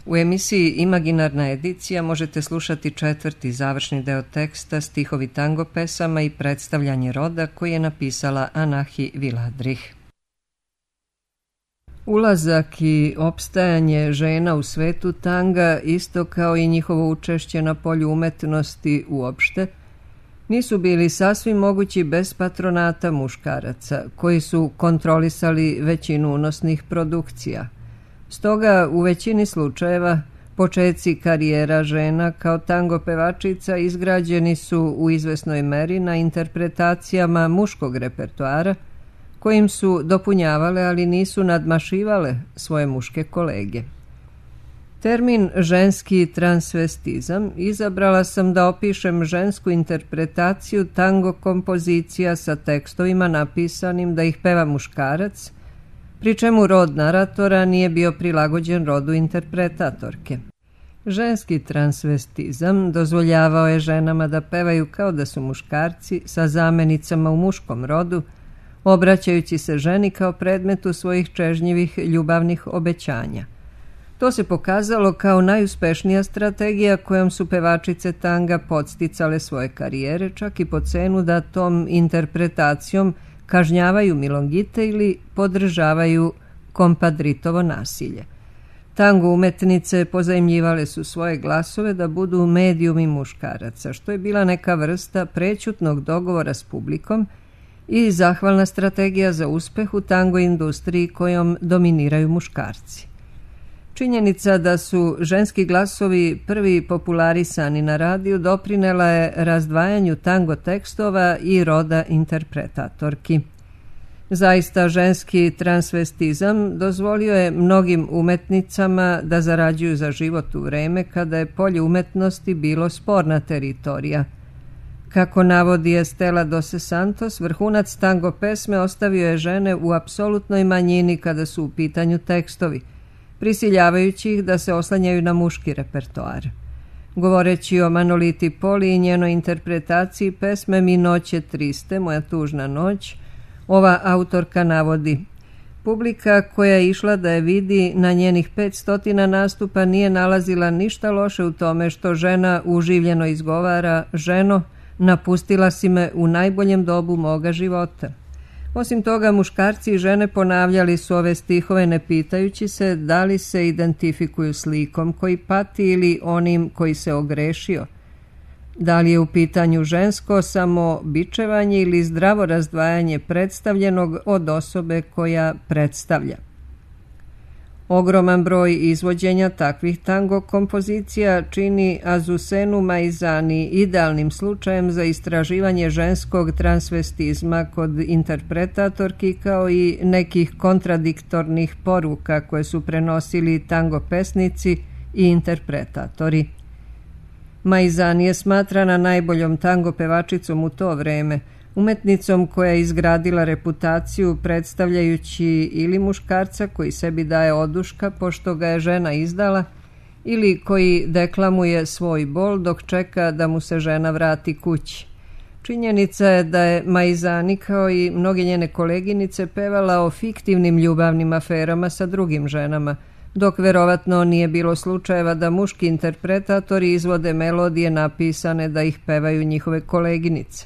U emisiji Imaginarna edicija možete slušati četvrti završni deo teksta, stihovi tango pesama i predstavljanje roda koji je napisala Anahi Viladrih. Ulazak i opstajanje žena u svetu tanga, isto kao i njihovo učešće na polju umetnosti uopšte, nisu bili sasvim mogući bez patronata muškaraca, koji su kontrolisali većinu unosnih produkcija. Stoga, u većini slučajeva, počeci karijera žena kao tango pevačica izgrađeni su u izvesnoj meri na interpretacijama muškog repertoara, kojim su dopunjavale, ali nisu nadmašivale svoje muške kolege. Termin ženski transvestizam izabrala sam da opišem žensku interpretaciju tango kompozicija sa tekstovima napisanim da ih peva muškarac, pri čemu rod naratora nije bio prilagođen rodu interpretatorke. Ženski transvestizam dozvoljavao je ženama da pevaju kao da su muškarci sa zamenicama u muškom rodu, obraćajući se ženi kao predmetu svojih čežnjivih ljubavnih obećanja. To se pokazalo kao najuspešnija strategija kojom su pevačice tanga podsticale svoje karijere, čak i po cenu da tom interpretacijom kažnjavaju milongite ili podržavaju kompadritovo nasilje. Tango umetnice pozajmljivale su svoje glasove da budu medijumi muškaraca, što je bila neka vrsta prećutnog dogovora s publikom i zahvalna strategija za uspeh u tango industriji kojom dominiraju muškarci. Činjenica da su ženski glasovi prvi popularisani na radiju doprinela je razdvajanju tango tekstova i roda interpretatorki. Zaista ženski transvestizam dozvolio je mnogim umetnicama da zarađuju za život u vreme kada je polje umetnosti bilo sporna teritorija. Kako navodi Estela Dose Santos, vrhunac tango pesme ostavio je žene u apsolutnoj manjini kada su u pitanju tekstovi, prisiljavajući ih da se oslanjaju na muški repertoar. Govoreći o Manoliti Poli i njenoj interpretaciji pesme Mi noće triste, Moja tužna noć, ova autorka navodi: publika koja je išla da je vidi na njenih 500 nastupa nije nalazila ništa loše u tome što žena uživljeno izgovara: ženo, napustila si me u najboljem dobu moga života. Osim toga, muškarci i žene ponavljali su ove stihove ne pitajući se da li se identifikuju s likom koji pati ili onim koji se ogrešio. Da li je u pitanju žensko samobičevanje ili zdravo razdvajanje predstavljenog od osobe koja predstavlja. Ogroman broj izvođenja takvih tango kompozicija čini Azusenu Maizani idealnim slučajem za istraživanje ženskog transvestizma kod interpretatorki kao i nekih kontradiktornih poruka koje su prenosili tango pesnici i interpretatori. Maizani je smatrana najboljom tango pevačicom u to vreme, umetnicom koja je izgradila reputaciju predstavljajući ili muškarca koji sebi daje oduška pošto ga je žena izdala, ili koji deklamuje svoj bol dok čeka da mu se žena vrati kući. Činjenica je da je Maizani kao i mnoge njene koleginice pevala o fiktivnim ljubavnim aferama sa drugim ženama, dok verovatno nije bilo slučajeva da muški interpretatori izvode melodije napisane da ih pevaju njihove koleginice.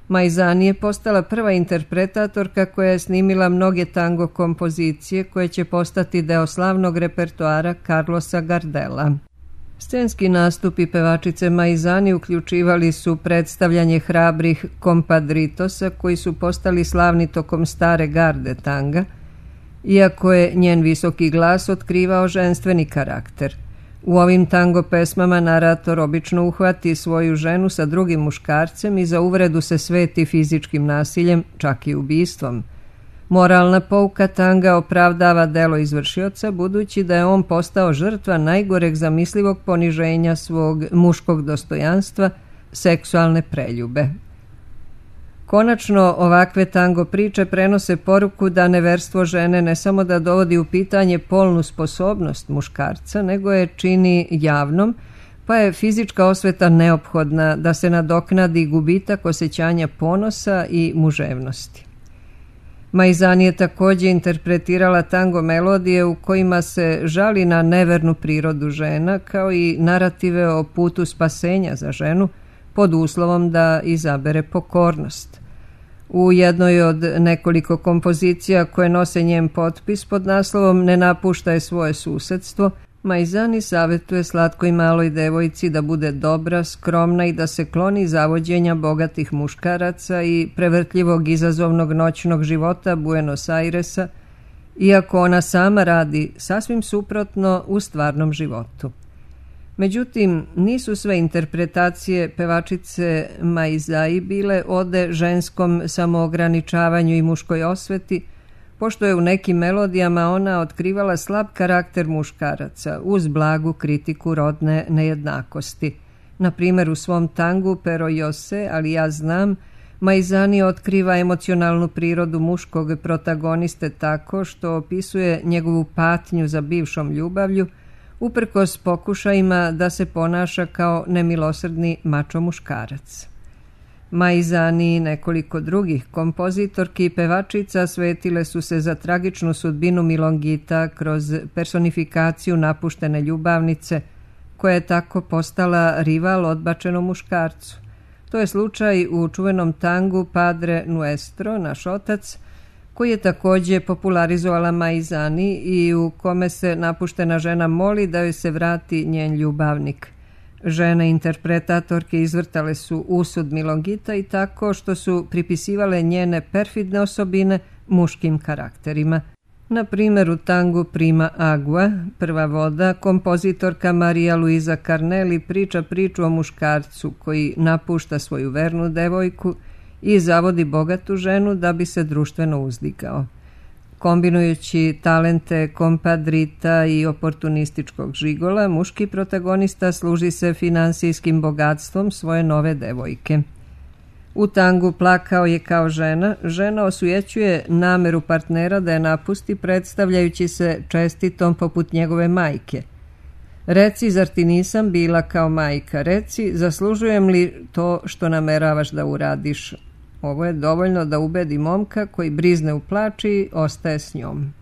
Maizani je postala prva interpretatorka koja je snimila mnoge tango kompozicije koje će postati deo slavnog repertoara Carlosa Gardela. Scenski nastupi pevačice Maizani uključivali su predstavljanje hrabrih kompadritosa koji su postali slavni tokom stare garde tanga, iako je njen visoki glas otkrivao ženstveni karakter. U ovim tango pesmama narator obično uhvati svoju ženu sa drugim muškarcem i za uvredu se sveti fizičkim nasiljem, čak i ubistvom. Moralna pouka tanga opravdava delo izvršioca budući da je on postao žrtva najgoreg zamislivog poniženja svog muškog dostojanstva, seksualne preljube. Konačno, ovakve tango priče prenose poruku da neverstvo žene ne samo da dovodi u pitanje polnu sposobnost muškarca, nego je čini javnom, pa je fizička osveta neophodna da se nadoknadi gubitak osjećanja ponosa i muževnosti. Maizani je također interpretirala tango melodije u kojima se žali na nevernu prirodu žena, kao i narative o putu spasenja za ženu, pod uslovom da izabere pokornost. U jednoj od nekoliko kompozicija koje nose njen potpis pod naslovom Ne napuštaj svoje susedstvo, Maizani savjetuje slatkoj maloj devojci da bude dobra, skromna i da se kloni zavođenja bogatih muškaraca i prevrtljivog izazovnog noćnog života Buenos Airesa, iako ona sama radi sasvim suprotno u stvarnom životu. Međutim, nisu sve interpretacije pevačice Maizai bile ode ženskom samoograničavanju i muškoj osveti, pošto je u nekim melodijama ona otkrivala slab karakter muškaraca uz blagu kritiku rodne nejednakosti. Na primjer, u svom tangu Pero yo sé, ali ja znam, Maizani otkriva emocionalnu prirodu muškog protagoniste tako što opisuje njegovu patnju za bivšom ljubavlju, uprkos pokušajima da se ponaša kao nemilosrdni mačo muškarac. Maizani i nekoliko drugih kompozitorki i pevačica svetile su se za tragičnu sudbinu Milongita kroz personifikaciju napuštene ljubavnice, koja je tako postala rival odbačenom muškarcu. To je slučaj u čuvenom tangu Padre Nuestro, naš otac, koji je također popularizovala Maizani i u kome se napuštena žena moli da joj se vrati njen ljubavnik. Žene interpretatorke izvrtale su usud Milongita i tako što su pripisivale njene perfidne osobine muškim karakterima. Na primjer, u tangu Prima Agua, prva voda, kompozitorka Maria Luisa Carnelli priča priču o muškarcu koji napušta svoju vernu devojku i zavodi bogatu ženu da bi se društveno uzdigao. Kombinujući talente kompadrita i oportunističkog žigola, muški protagonista služi se finansijskim bogatstvom svoje nove devojke. U tangu Plakao je kao žena, žena osujećuje nameru partnera da je napusti, predstavljajući se čestitom poput njegove majke. Reci, zar ti nisam bila kao majka? Reci, zaslužujem li to što nameravaš da uradiš? Ovo je dovoljno da ubedi momka koji brizne u plač i ostaje s njom.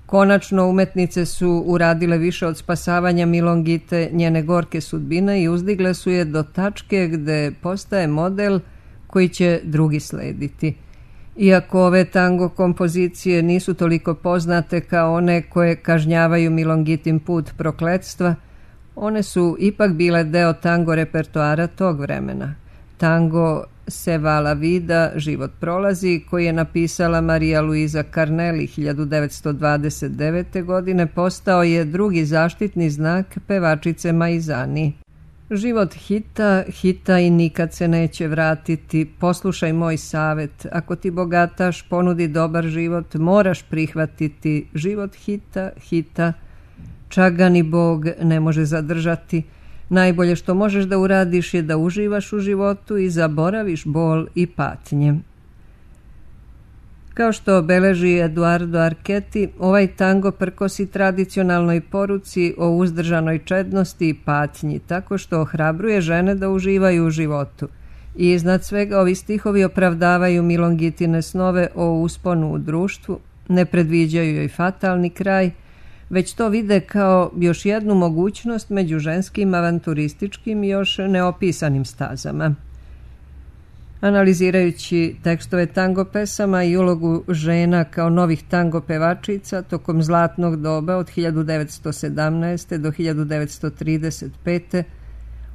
Konačno, umetnice su uradile više od spasavanja Milongite, njene gorke sudbine, i uzdigle su je do tačke gde postaje model koji će drugi slediti. Iako ove tango kompozicije nisu toliko poznate kao one koje kažnjavaju Milongitin put prokletstva, one su ipak bile deo tango repertoara tog vremena. Tango Se va la vida, život prolazi, koji je napisala Maria Luisa Carnelli 1929. godine, postao je drugi zaštitni znak pevačice Maizani. Život hita, hita i nikad se neće vratiti. Poslušaj moj savjet. Ako ti bogataš ponudi dobar život, moraš prihvatiti. Život hita, hita. Čak ga ni Bog ne može zadržati. Najbolje što možeš da uradiš je da uživaš u životu i zaboraviš bol i patnje. Kao što obeleži Eduardo Archetti, ovaj tango prkosi tradicionalnoj poruci o uzdržanoj čednosti i patnji, tako što ohrabruje žene da uživaju u životu. I iznad svega ovi stihovi opravdavaju Milongitine snove o usponu u društvu, ne predviđaju joj fatalni kraj, već to vide kao još jednu mogućnost među ženskim avanturističkim i još neopisanim stazama. Analizirajući tekstove tango pesama i ulogu žena kao novih tango pevačica tokom zlatnog doba od 1917. do 1935.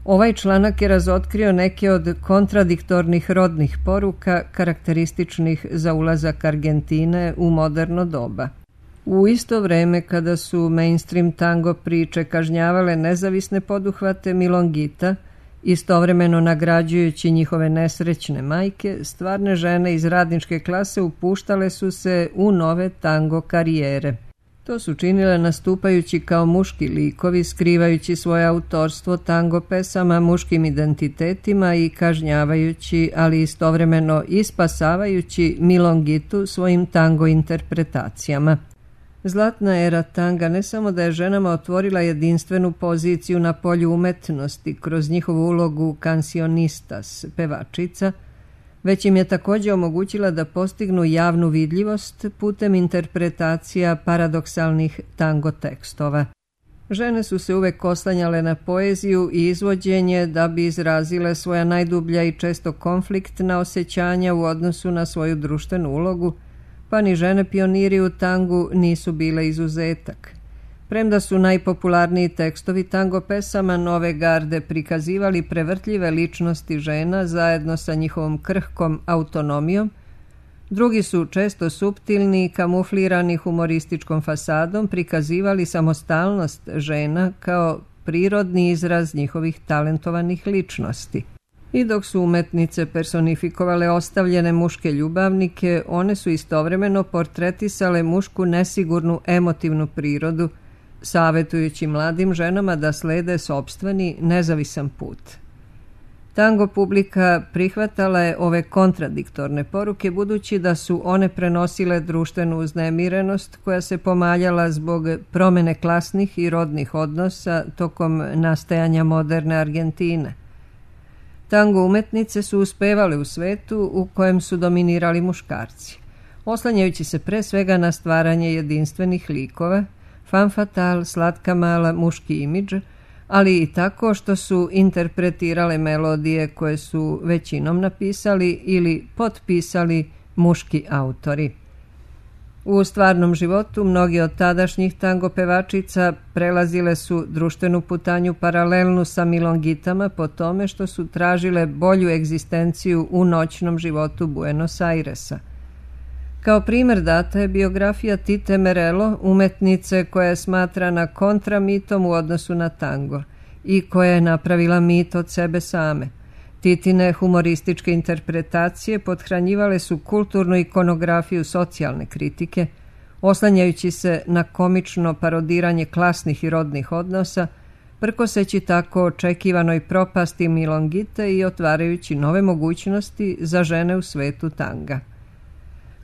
ovaj članak je razotkrio neke od kontradiktornih rodnih poruka karakterističnih za ulazak Argentine u moderno doba. U isto vreme kada su mainstream tango priče kažnjavale nezavisne poduhvate Milongita, istovremeno nagrađujući njihove nesrećne majke, stvarne žene iz radničke klase upuštale su se u nove tango karijere. To su činile nastupajući kao muški likovi, skrivajući svoje autorstvo tango pesama muškim identitetima i kažnjavajući, ali istovremeno i spasavajući Milongitu svojim tango interpretacijama. Zlatna era tanga ne samo da je ženama otvorila jedinstvenu poziciju na polju umetnosti kroz njihovu ulogu cancionistas, pevačica, već im je također omogućila da postignu javnu vidljivost putem interpretacija paradoksalnih tango tekstova. Žene su se uvek oslanjale na poeziju i izvođenje da bi izrazile svoja najdublja i često konfliktna osjećanja u odnosu na svoju društvenu ulogu, pa ni žene pioniri u tangu nisu bile izuzetak. Premda su najpopularniji tekstovi tango pesama nove garde prikazivali prevrtljive ličnosti žena zajedno sa njihovom krhkom autonomijom, drugi su često suptilni i kamuflirani humorističkom fasadom prikazivali samostalnost žena kao prirodni izraz njihovih talentovanih ličnosti. I dok su umetnice personifikovale ostavljene muške ljubavnike, one su istovremeno portretisale mušku nesigurnu emotivnu prirodu, savjetujući mladim ženama da slede sopstveni nezavisan put. Tango publika prihvatala je ove kontradiktorne poruke budući da su one prenosile društvenu uznemirenost koja se pomaljala zbog promene klasnih i rodnih odnosa tokom nastajanja moderne Argentine. Tango umetnice su uspevale u svetu u kojem su dominirali muškarci, oslanjajući se pre svega na stvaranje jedinstvenih likova, femme fatale, slatka mala, muški imidž, ali i tako što su interpretirale melodije koje su većinom napisali ili potpisali muški autori. U stvarnom životu mnogi od tadašnjih tango pevačica prelazile su društvenu putanju paralelnu sa milongitama po tome što su tražile bolju egzistenciju u noćnom životu Buenos Airesa. Kao primjer data je biografija Tite Merelo, umetnice koja je smatrana kontramitom u odnosu na tango i koja je napravila mit od sebe same. Titine humorističke interpretacije pothranjivale su kulturnu ikonografiju socijalne kritike, oslanjajući se na komično parodiranje klasnih i rodnih odnosa, prkoseći tako očekivanoj propasti milongite i otvarajući nove mogućnosti za žene u svetu tanga.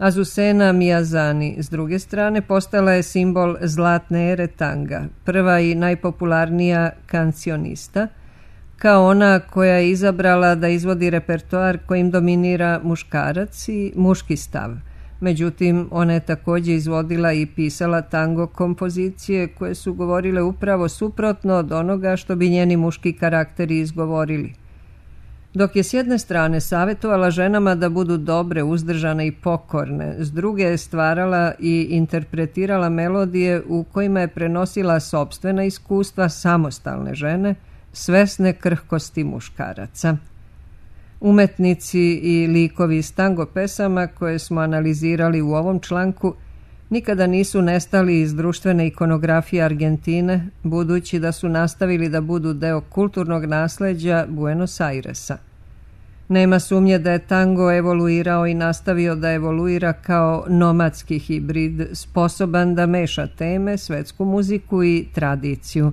Azucena Miyazani, s druge strane, postala je simbol zlatne ere tanga, prva i najpopularnija kancionista, kao ona koja je izabrala da izvodi repertoar kojim dominira muškarac i muški stav. Međutim, ona je također izvodila i pisala tango kompozicije koje su govorile upravo suprotno od onoga što bi njeni muški karakteri izgovorili. Dok je s jedne strane savjetovala ženama da budu dobre, uzdržane i pokorne, s druge je stvarala i interpretirala melodije u kojima je prenosila sopstvena iskustva samostalne žene, svesne krhkosti muškaraca. Umetnici i likovi iz tango pesama koje smo analizirali u ovom članku nikada nisu nestali iz društvene ikonografije Argentine, budući da su nastavili da budu deo kulturnog nasleđa Buenos Airesa. Nema sumnje da je tango evoluirao i nastavio da evoluira kao nomadski hibrid, sposoban da meša teme, svetsku muziku i tradiciju.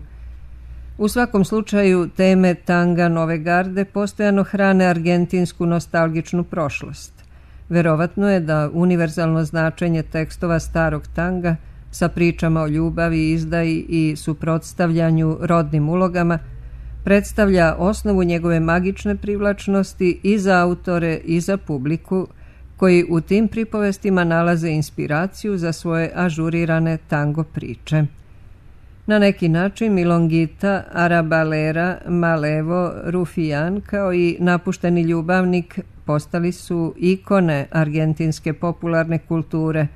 U svakom slučaju, teme tanga nove garde postojano hrane argentinsku nostalgičnu prošlost. Verovatno je da univerzalno značenje tekstova starog tanga sa pričama o ljubavi, izdaji i suprotstavljanju rodnim ulogama predstavlja osnovu njegove magične privlačnosti i za autore i za publiku koji u tim pripovestima nalaze inspiraciju za svoje ažurirane tango priče. Na neki način milongita, arabalera, malevo, rufijan kao i napušteni ljubavnik postali su ikone argentinske popularne kulture,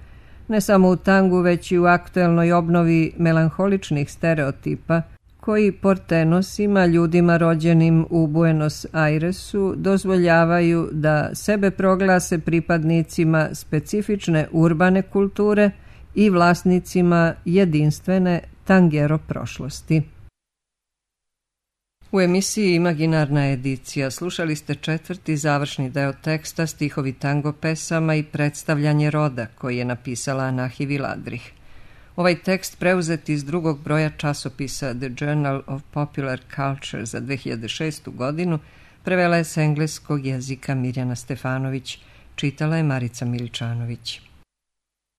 ne samo u tangu već i u aktuelnoj obnovi melanholičnih stereotipa koji portenosima, ljudima rođenim u Buenos Airesu, dozvoljavaju da sebe proglase pripadnicima specifične urbane kulture i vlasnicima jedinstvene tangero prošlosti. U emisiji Imaginarna edicija slušali ste 4. završni deo teksta Stihovi tango pesama i predstavljanje roda koji je napisala Anahi Viladrih. Ovaj tekst preuzet iz drugog broja časopisa The Journal of Popular Culture za 2006. godinu prevela je s engleskog jezika Mirjana Stefanović, čitala je Marica Miličanović.